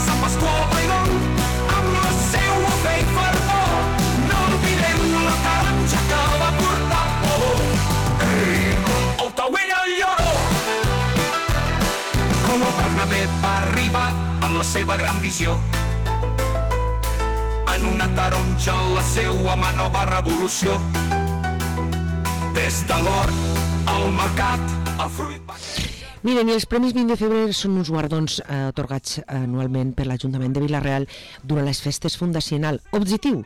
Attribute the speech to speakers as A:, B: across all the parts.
A: Sant Pasqual Bailón, amb la seua fe i fervor, no oblidem la taronja que va portar por. Ei, el Tauella Lloró! Com el Bernabé va arribar amb la seva gran visió, en una taronja la seua mà nova revolució. Des de l'hort al mercat, el fruit va...
B: Miren, i els Premis 20 de febrer són uns guardons atorgats anualment per l'Ajuntament de Vila-real durant les festes fundacional. Objectiu: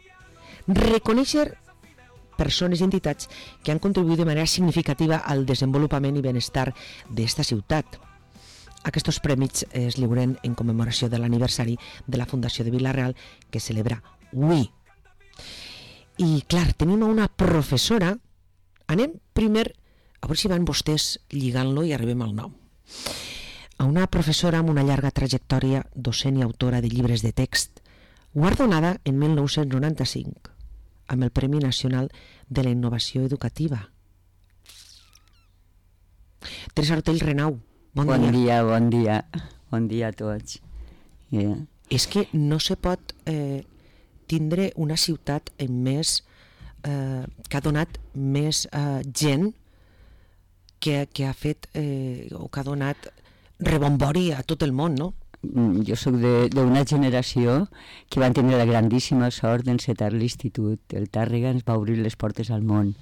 B: reconèixer persones i entitats que han contribuït de manera significativa al desenvolupament i benestar d'esta ciutat. Aquests premis es lliuren en commemoració de l'aniversari de la Fundació de Vila-real que celebra avui. I clar, tenim una professora. Anem primer, a veure si van vostès lligant-lo i arribem al nom. A una professora amb una llarga trajectòria docent i autora de llibres de text, guardonada en 1995 amb el Premi Nacional de la Innovació Educativa. Teresa Ortell Renau, bon dia.
C: Bon dia. Bon dia a tots. Yeah.
B: És que no se pot tindre una ciutat amb més que ha donat més gent que ha fet o que ha donat rebombori a tot el món, no?
C: Jo soc d'una generació que van tenir la grandíssima sort d'encetar l'institut. El Tàrrega ens va obrir les portes al món.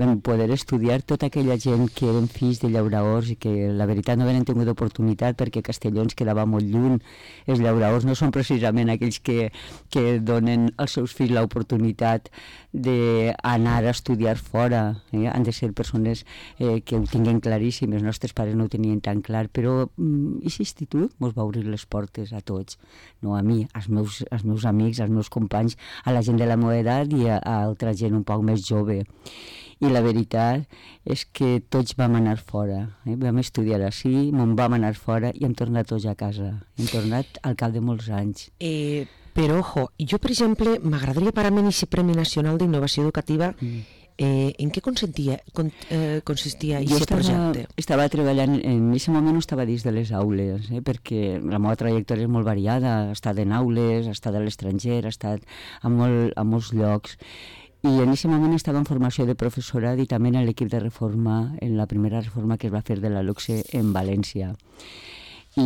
C: Vam poder estudiar tota aquella gent que eren fills de llauraors i que la veritat no havien tingut oportunitat perquè Castelló ens quedava molt lluny. Els llauraors no són precisament aquells que donen als seus fills l'oportunitat d'anar a estudiar fora. Han de ser persones que ho tinguen claríssim. Els nostres pares no ho tenien tan clar, però aquest institut ens va obrir les portes a tots, no a mi, als meus amics, als meus companys, a la gent de la meva edat i a altra gent un poc més jove. I la veritat és que tots vam anar fora, vam estudiar així, me'n vam anar fora i hem tornat tots a casa. Hem tornat al cap de molts anys.
B: Però, ojo, jo, per exemple, m'agradaria parar-me en aquest Premi Nacional d'Innovació Educativa. En què consistia aquest projecte?
C: Estava treballant, en aquest moment no estava dins de les aules, perquè la meva trajectòria és molt variada, he estat en aules, he estat a l'estranger, he estat a molts llocs. I en aquest moment estava en formació de professorat i també en l'equip de reforma, en la primera reforma que es va fer de la LOCSE en València. I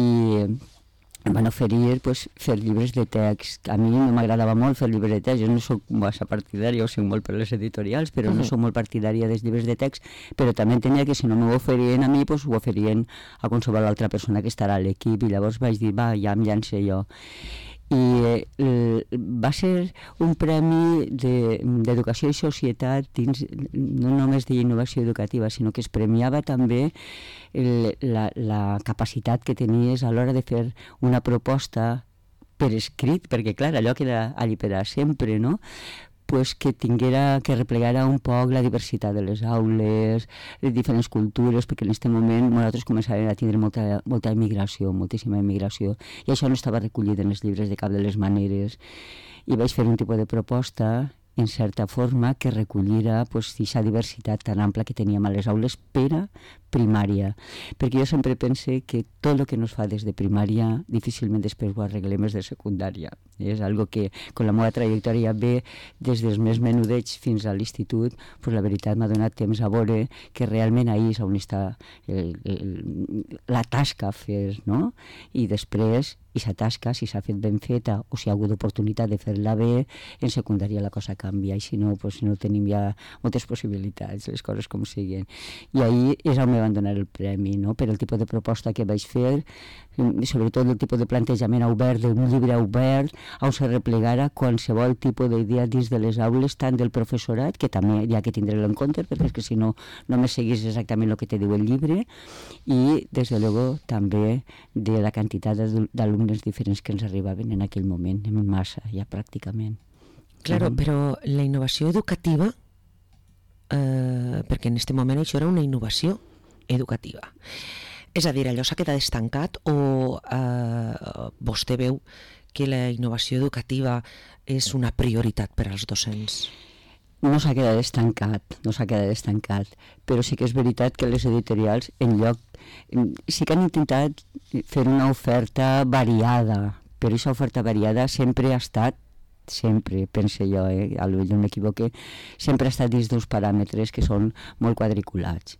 C: em van oferir fer llibres de text. A mi no m'agradava molt fer llibres de text, jo no soc massa partidària, ho soc molt per les editorials, però no soc molt partidària dels llibres de text, però també entenia que si no m'ho oferien a mi, ho oferien a qualsevol altra persona que estarà a l'equip, i llavors vaig dir, ja em llanço jo. I va ser un premi d'educació i societat dins no només d'innovació educativa, sinó que es premiava també la capacitat que tenies a l'hora de fer una proposta per escrit, perquè clar, allò queda allí per a sempre, no? Que tinguera, que replegara un poc la diversitat de les aules, les diferents cultures, perquè en aquest moment nosaltres començàvem a tindre molta immigració, moltíssima immigració, i això no estava recollit en els llibres de cap de les maneres. I vaig fer un tipus de proposta, en certa forma, que recollira aquesta diversitat tan ampla que teníem a les aules per a primària, perquè jo sempre pense que tot el que no es fa des de primària difícilment després ho arreglem des de secundària. És algo que, con la meva trajectòria ve des dels més menudets fins a l'institut, la veritat m'ha donat temps a veure que realment ahir és on està la tasca a fer, no? I després, aquesta tasca, si s'ha fet ben feta o si ha hagut oportunitat de fer-la bé, en secundària la cosa canvia, i si no, no tenim ja moltes possibilitats, les coses com siguin. I ahir és on me van donar el premi, no? Per el tipus de proposta que vaig fer, i sobretot el tipus de plantejament obert, d'un llibre obert, on se replegara qualsevol tipus d'idea dins de les aules, tant del professorat, que també hi ha que tindre-lo en compte, perquè és que si no, només seguís exactament el que te diu el llibre, i, des de luego, també de la quantitat d'alumnes diferents que ens arribaven en aquell moment, en massa, ja pràcticament.
B: Claro, però la innovació educativa, perquè en aquest moment això era una innovació educativa, és a dir, allò s'ha quedat estancat o vostè veu que la innovació educativa és una prioritat per als docents?
C: No s'ha quedat estancat, però sí que és veritat que les editorials sí que han intentat fer una oferta variada, però aquesta oferta variada sempre ha estat, sempre, pense jo, potser m'equivoque, sempre ha estat dins d'uns paràmetres que són molt quadriculats.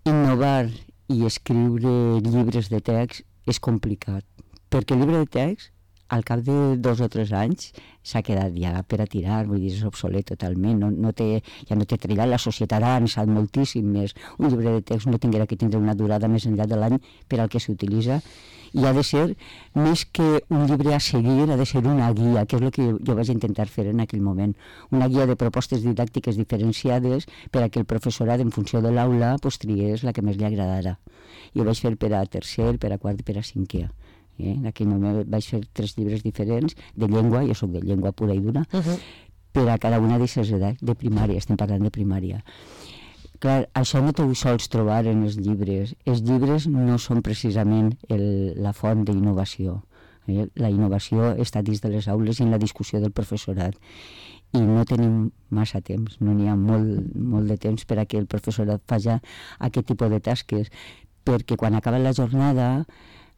C: Innovar i escriure llibres de text és complicat, perquè el llibre de text al cap de 2 o 3 anys s'ha quedat ja per a tirar, vull dir, és obsolet totalment, ja no té trillat, la societat ha avançat moltíssim més, un llibre de text no tinguera que tindre una durada més enllà de l'any per al que s'utilitza, i ha de ser, més que un llibre a seguir, ha de ser una guia, que és el que jo vaig intentar fer en aquell moment, una guia de propostes didàctiques diferenciades per a que el professorat, en funció de l'aula, triés la que més li agradara. I ho vaig fer per a tercer, per a quart i per a cinquè. En aquell moment vaig fer 3 llibres diferents de llengua, jo soc de llengua pura i dura, per a cada una d'aquestes edats, de primària, estem parlant de primària. Clar, això no t'ho sols trobar en els llibres. Els llibres no són precisament la font d'innovació. La innovació està dins de les aules i en la discussió del professorat. I no tenim massa temps, no n'hi ha molt de temps per a que el professorat faci aquest tipus de tasques, perquè quan acaba la jornada,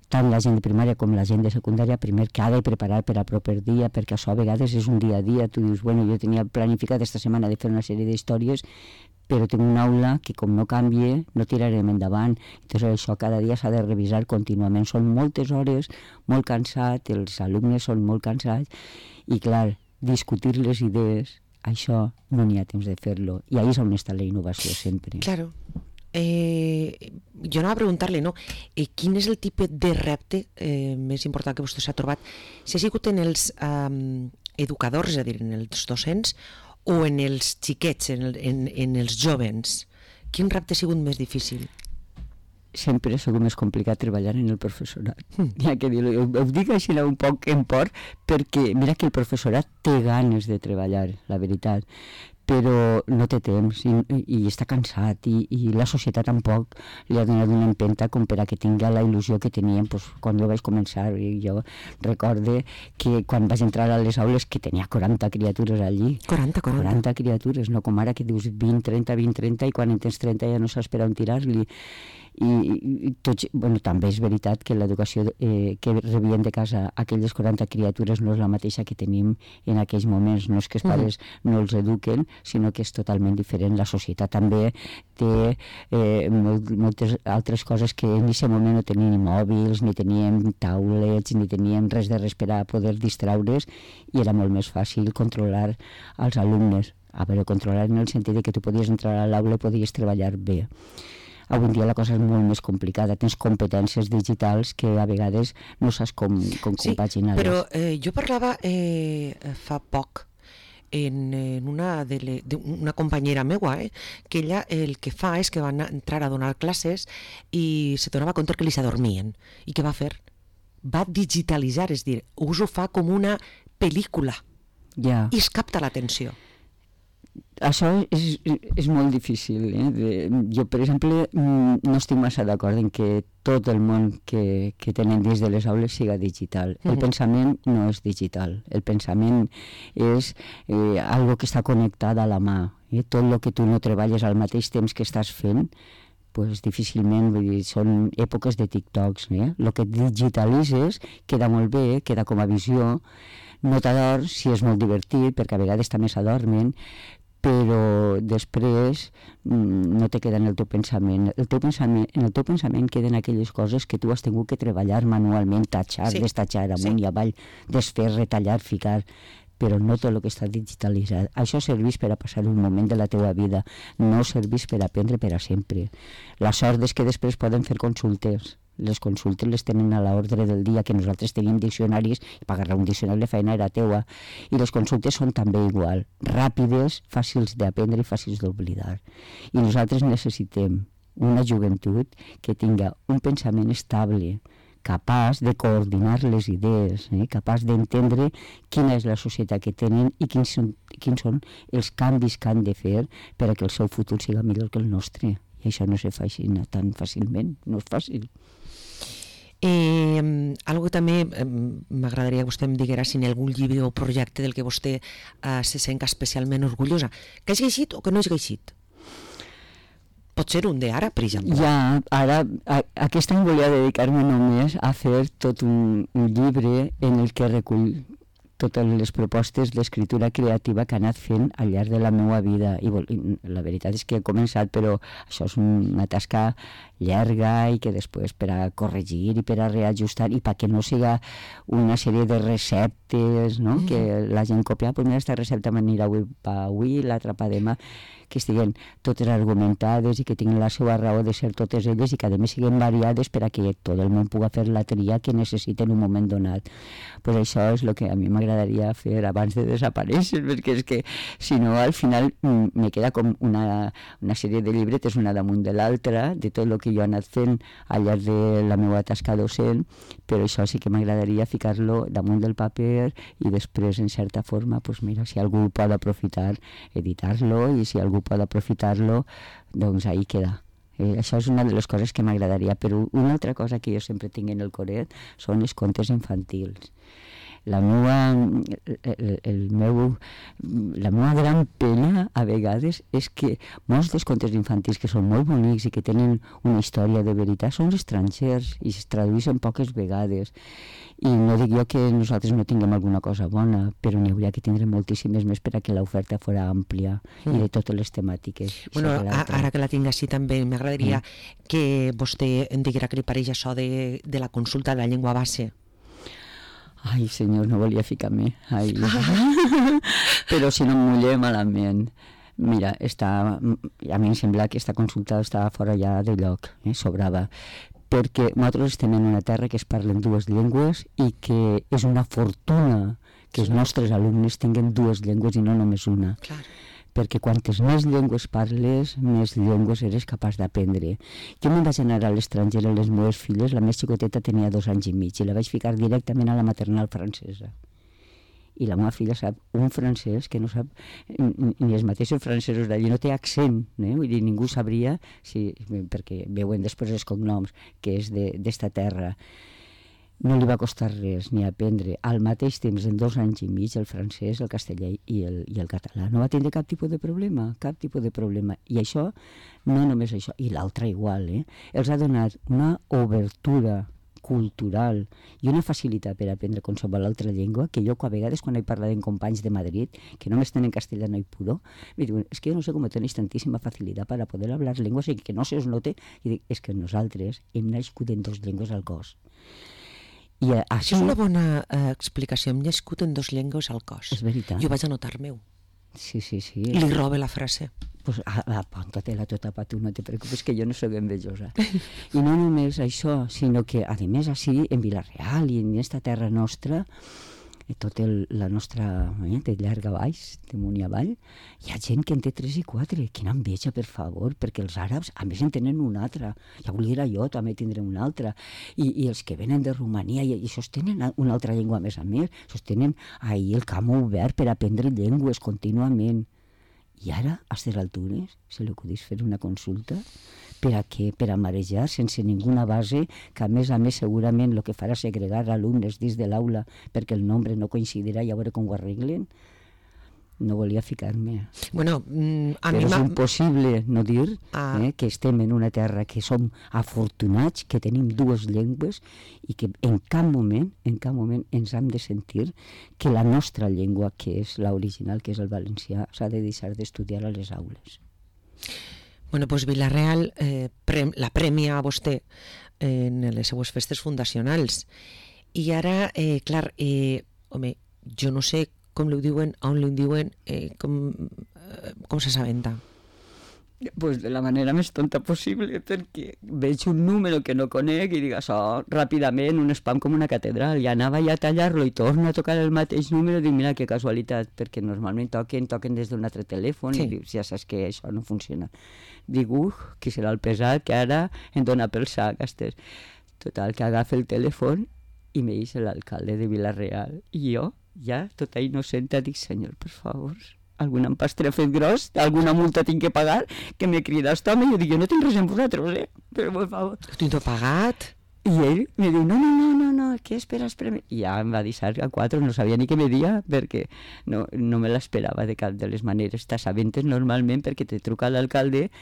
C: tant la gent de primària com la gent de secundària, primer que ha de preparar per a proper dia, perquè això a vegades és un dia a dia, tu dius, bueno, jo tenia planificat esta setmana de fer una sèrie d'històries, però tinc una aula que com no canvie, no tirarem endavant. Entonces això cada dia s'ha de revisar contínuament. Són moltes hores, molt cansat, els alumnes són molt cansats, i clar, discutir les idees, això no n'hi ha temps de fer-lo, i ahí és on està la innovació sempre.
B: Claro. Jo anava a preguntar-li, no? Quin és el tipus de repte més important que vostè s'ha trobat? Si ha sigut en els educadors, és a dir, en els docents, o en els xiquets, en els jovens? Quin repte ha sigut més difícil?
C: Sempre ha sigut més complicat treballar en el professorat. Ja que dir-ho, ho dic així un poc en por, perquè mira que el professorat té ganes de treballar, la veritat, però no té temps i està cansat i la societat tampoc li ha donat una empenta com per a que tingui la il·lusió que teníem quan jo vaig començar. I jo recorde que quan vaig entrar a les aules que tenia 40 criatures allí. 40 criatures, no com ara que dius 20, 30 i quan en tens 30 ja no saps per on tirar-li. I tots, bueno, també és veritat que l'educació que rebien de casa aquelles 40 criatures no és la mateixa que tenim en aquells moments. No és que els pares no els eduquen, sinó que és totalment diferent. La societat també té moltes altres coses que en aquest moment no teníem ni mòbils, ni teníem taulets, ni teníem res per a poder distraure's, i era molt més fàcil controlar els alumnes. A veure, controlar en el sentit de que tu podies entrar a l'aula i podies treballar bé. Avui en dia la cosa és molt més complicada, tens competències digitals que a vegades no saps com compaginar-les.
B: Però jo parlava fa poc en una companyera meua, que ella el que fa és que va entrar a donar classes i se donava compte que li s'adormien. I què va fer? Va digitalitzar, és dir, us ho fa com una pel·lícula i es capta l'atenció.
C: Això és molt difícil. Jo, per exemple, no estic massa d'acord en que tot el món que tenen dins de les aules siga digital. El pensament no és digital. El pensament és algo que està connectat a la mà. Tot el que tu no treballes al mateix temps que estàs fent, pues difícilment, vull dir, són èpoques de TikToks. El que digitalitzes queda molt bé, queda com a visió, no t'adors si és molt divertit, perquè a vegades també s'adormen, però després no te queda en el teu pensament. En el teu pensament queden aquelles coses que tu has tingut que treballar manualment, tatxar, destatxar amunt i avall, desfer, retallar, ficar, però no tot el que està digitalitzat. Això serveix per a passar un moment de la teva vida, no serveix per a aprendre per a sempre. La sort és que després poden fer consultes. Les consultes les tenen a l'ordre del dia, que nosaltres tenim diccionaris, i pagar un diccionari de feina era teua, i les consultes són també igual, ràpides, fàcils d'aprendre i fàcils d'oblidar. I nosaltres necessitem una joventut que tinga un pensament estable, capaç de coordinar les idees, capaç d'entendre quina és la societat que tenen i quins són els canvis que han de fer per a que el seu futur siga millor que el nostre. I això no se fa així tan fàcilment, no és fàcil.
B: Algo que també m'agradaria que vostè em diguera si en algun llibre o projecte del que vostè se sent especialment orgullosa, que has llegit o que no has llegit? pot ser un d'ara, per exemple.
C: Ja, ara, aquest any volia dedicar-me només a fer tot un llibre en el que recull totes les propostes d'escriptura creativa que he anat fent al llarg de la meva vida. I la veritat és que he començat, però això és una tasca llarga i que després per a corregir i per a reajustar i perquè no siga una sèrie de receptes, no? Que la gent copia, pues mira, aquesta recepta m'anirà avui, l'altra pa demà, que estiguen totes argumentades i que tinguin la seva raó de ser totes elles i que a més siguin variades per a que tot el món pugui fer la tria que necessita en un moment donat. Pues això és el que a mi m'agradaria fer abans de desaparèixer, perquè és que si no al final me queda com una sèrie de llibretes una damunt de l'altra, de tot el que jo he anat fent al llarg de la meva tasca docent, però això sí que m'agradaria ficar-lo damunt del paper i després, en certa forma, pues mira, si algú pot aprofitar, editar-lo, i si algú pot aprofitar-lo, doncs ahí queda. Això és una de les coses que m'agradaria, però una altra cosa que jo sempre tinc en el coret són els contes infantils. La meva gran pena a vegades és que molts dels contes infantils que són molt bonics i que tenen una història de veritat són estrangers i es tradueixen poques vegades. I no dic jo que nosaltres no tinguem alguna cosa bona, però n'hi hauria que tindre moltíssimes més per a que l'oferta fos àmplia i de totes les temàtiques.
B: Bueno, ara que la tinc així també m'agradaria que vostè em diguera què li pareix això de la consulta de la llengua base.
C: Ai, senyor, no volia ficar-me. Però si no em mullé malament. Mira, a mi em sembla que aquesta consulta estava fora ja de lloc, sobrava. Perquè nosaltres estem en una terra que es parlen dues llengües i que és una fortuna que els nostres alumnes tinguen dues llengües i no només una.
B: Clar.
C: Perquè quantes més llengües parles, més llengües eres capaç d'aprendre. Jo me'n vaig anar a l'estranger amb les meves filles, la més xicoteta tenia 2 anys i mig, i la vaig ficar directament a la maternal francesa. I la meva filla sap un francès que no sap, ni els mateixos francesos d'allí, no té accent, vull dir, ningú sabria, perquè veuen després els cognoms, que és d'esta terra. No li va costar res ni aprendre al mateix temps, en 2 anys i mig, el francès, el castellà i el català. No va tindre cap tipus de problema, cap tipus de problema. I això, no només això, i l'altre igual, els ha donat una obertura cultural i una facilitat per aprendre qualsevol altra llengua que jo a vegades quan he parlat amb companys de Madrid que només tenen castellano i puro me diuen, és que jo no sé com tenéis tantíssima facilitat per a poder hablar llengües i que no se os note, i dic, és que nosaltres hem nascut en 2 llengües al cos. I
B: això és una bona explicació. Hem nascut en 2 llengües al cos.
C: És veritat.
B: Jo vaig anotar meu.
C: Sí.
B: Li robe la frase.
C: Pues apunta-te-la tota pa tu, no te preocupes, que jo no soc envejosa. I no només això, sinó que, a més, així, en Vila-real i en aquesta terra nostra, tota la nostra, de llarg a baix, de munt i avall, hi ha gent que en té 3 i 4. Quina enveja, per favor, perquè els àrabs, a més, en tenen una altra. Ja volia jo també tindre una altra. I els que venen de Romania, i això tenen una altra llengua a més, tenen ahir el camp obert per aprendre llengües contínuament. I ara, a aquestes altures, se li acudís fer una consulta per a què? Per a marejar sense ninguna base, que a més segurament el que farà segregar alumnes dins de l'aula perquè el nombre no coincidirà i a veure com ho arreglen. No volia ficar-me.
B: Bueno,
C: però és impossible no dir que estem en una terra que som afortunats, que tenim 2 llengües i que en cap moment ens hem de sentir que la nostra llengua, que és l'original, que és el valencià, s'ha de deixar d'estudiar a les aules.
B: Bueno, doncs Vila-real la premia a vostè en les seues festes fundacionals. I ara, clar, home, jo no sé com li diuen, on li diuen, com s'assabenta?
C: Pues de la manera més tonta possible, perquè veig un número que no conec i dic això ràpidament, un spam com una catedral, i anava ja a tallar-lo i torno a tocar el mateix número i dic, mira que casualitat, perquè normalment toquen des d'un altre telèfon i dius, ja saps que això no funciona. Dic, qui serà el pesat que ara em dona pel sac. Total, que agafa el telèfon i me dice l'alcalde de Vila-real i jo, ja, tota innocenta, dic, senyor, per favor, algun empastre ha fet gros, alguna multa tinc que pagar, que me crida aquest home, i jo dic, jo no tinc res amb vosaltres, però per favor.
B: Tu t'ho pagat?
C: I ell me diu, no, què esperes? I ja em va deixar a 4, no sabia ni què me dia, perquè no me l'esperava de cap de les maneres. T'assabentes normalment perquè te truca l'alcalde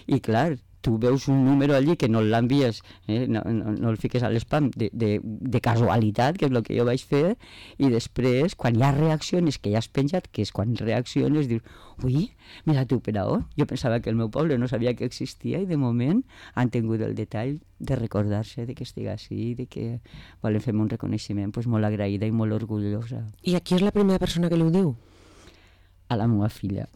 C: i, clar, tu veus un número allí que no l'envies, no el fiques a l'espam de casualitat, que és el que jo vaig fer, i després, quan ja reacciones, que ja has penjat, que és quan reacciones, dius, ui, mira tu per on? Jo pensava que el meu poble no sabia que existia i de moment han tingut el detall de recordar-se de que estigui així, de que volen fer un reconeixement, pues, molt agraïda i molt orgullosa.
B: I aquí és la primera persona que li ho diu?
C: A la meva filla.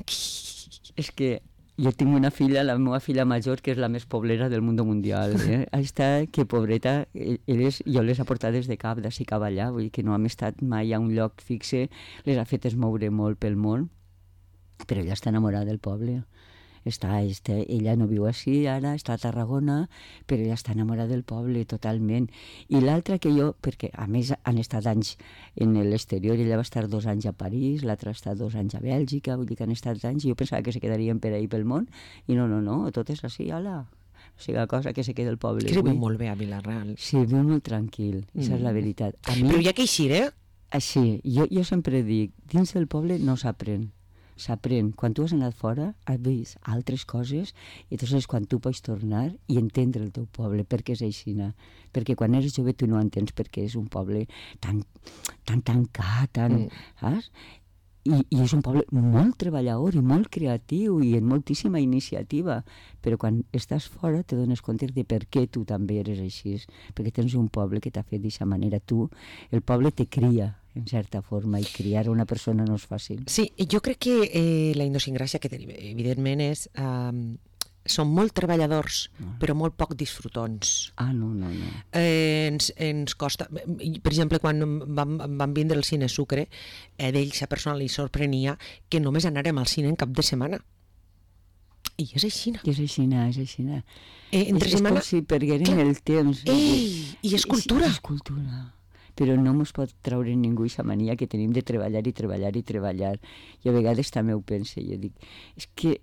C: És que jo tinc una filla, la meva filla major, que és la més poblera del món mundial. Està, que pobreta, jo les ha portades de cap, d'ací cap allà, vull dir que no hem estat mai a un lloc fixe, les ha fetes moure molt pel món, però ella està enamorada del poble. Ella no viu així ara, està a Tarragona, però ella està enamorada del poble totalment. I l'altra que jo, perquè a més han estat anys en l'exterior, ella va estar 2 anys a París, l'altra ha estat 2 anys a Bèlgica, vull dir que han estat anys, i jo pensava que se quedarien per ahí pel món, i no, tot és així, ala. O sigui, la cosa que se queda al poble.
B: Que viu molt bé a Vila-real.
C: Sí, viu molt tranquil, això és la veritat.
B: Però hi ha que eixir,
C: Així, jo sempre dic, dins del poble no s'aprèn. S'aprèn. Quan tu has anat fora, has vist altres coses, i llavors quan tu pots tornar i entendre el teu poble, perquè és aixina. Perquè quan eres jove tu no entens perquè és un poble tan tancat, saps? I és un poble molt treballador i molt creatiu i amb moltíssima iniciativa, però quan estàs fora te dones compte de per què tu també eres així, perquè tens un poble que t'ha fet d'aquesta manera. El poble te cria, en certa forma, i criar una persona no és fàcil.
B: Sí, jo crec que la idiosincràsia que tenim, evidentment, és... Són molt treballadors, però molt poc disfrutons.
C: No.
B: Ens costa... Per exemple, quan vam vindre al Cine Sucre, d'ells a persona li sorprenia que només anàrem al cine en cap de setmana. I és aixina.
C: És aixina.
B: Entre setmana...
C: És com si pergueren el temps.
B: I és cultura.
C: És cultura. Però no ens pot treure ningú aquesta mania que tenim de treballar. Jo a vegades també ho penso, jo dic, és que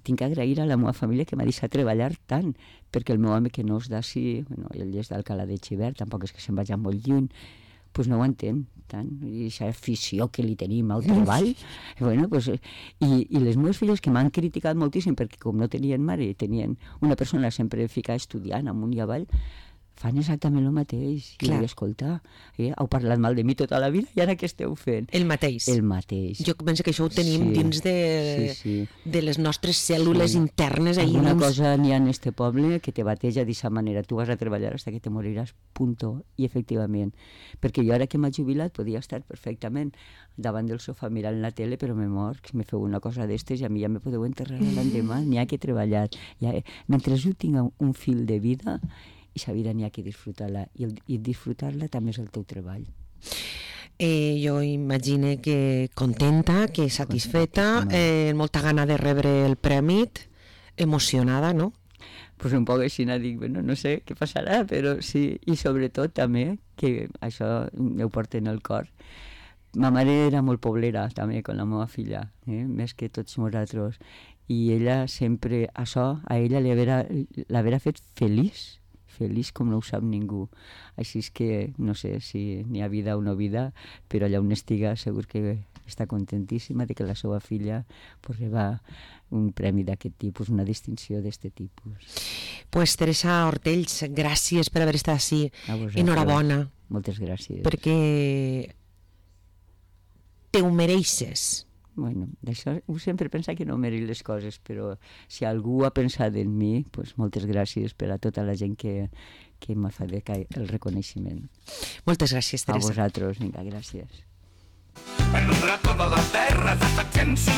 C: tinc que agrair a la meva família que m'ha deixat treballar tant, perquè el meu home que no és d'ací, ell és d'Alcalá de Xivert, tampoc és que se'n vagi molt lluny, doncs no ho entén tant, i aquesta afició que li tenim al treball, i les meves filles que m'han criticat moltíssim perquè com no tenien mare, tenien una persona sempre ficada estudiant amunt i avall, fan exactament el mateix. I vull escoltar, heu parlat mal de mi tota la vida i ara què esteu fent?
B: El mateix.
C: Jo
B: penso que això ho tenim dins de les nostres cèl·lules internes.
C: Alguna cosa n'hi ha en este poble que te bateja d'aquesta manera. Tu vas a treballar hasta que te moriràs, punto. I efectivament. Perquè jo ara que m'ha jubilat podia estar perfectament davant del sofà mirant la tele, però me mor, que me feu una cosa d'estes i a mi ja me podeu enterrar l'endemà. N'hi ha que treballar. Mentre jo tinc un fil de vida, i la vida n'hi ha que disfrutar-la, i disfrutar-la també és el teu treball.
B: Jo imagine que contenta, que satisfeta, molta gana de rebre el premi, emocionada, no?
C: Pues un poc així, dic, no sé què passarà, però sí, i sobretot també, que això ho porto en el cor, ma mare era molt poblera també, amb la meva filla, més que tots nosaltres, i ella sempre, això a ella l'haverà fet feliç com no ho sap ningú. Així és que no sé si n'hi ha vida o no vida, però allà on estiga segur que està contentíssima de que la seva filla reba un premi d'aquest tipus, una distinció d'aquest tipus.
B: Pues Teresa Ortells, gràcies per haver estat així. Enhorabona.
C: Moltes gràcies.
B: Perquè te ho mereixes.
C: Bueno, d'això sempre pensa que no mereix les coses, però si algú ha pensat en mi, pues moltes gràcies per a tota la gent que m'ha fet el reconeixement.
B: Moltes gràcies, Teresa.
C: A vosaltres, vinga, gràcies.
A: Perdrà tota la terra, hasta que ens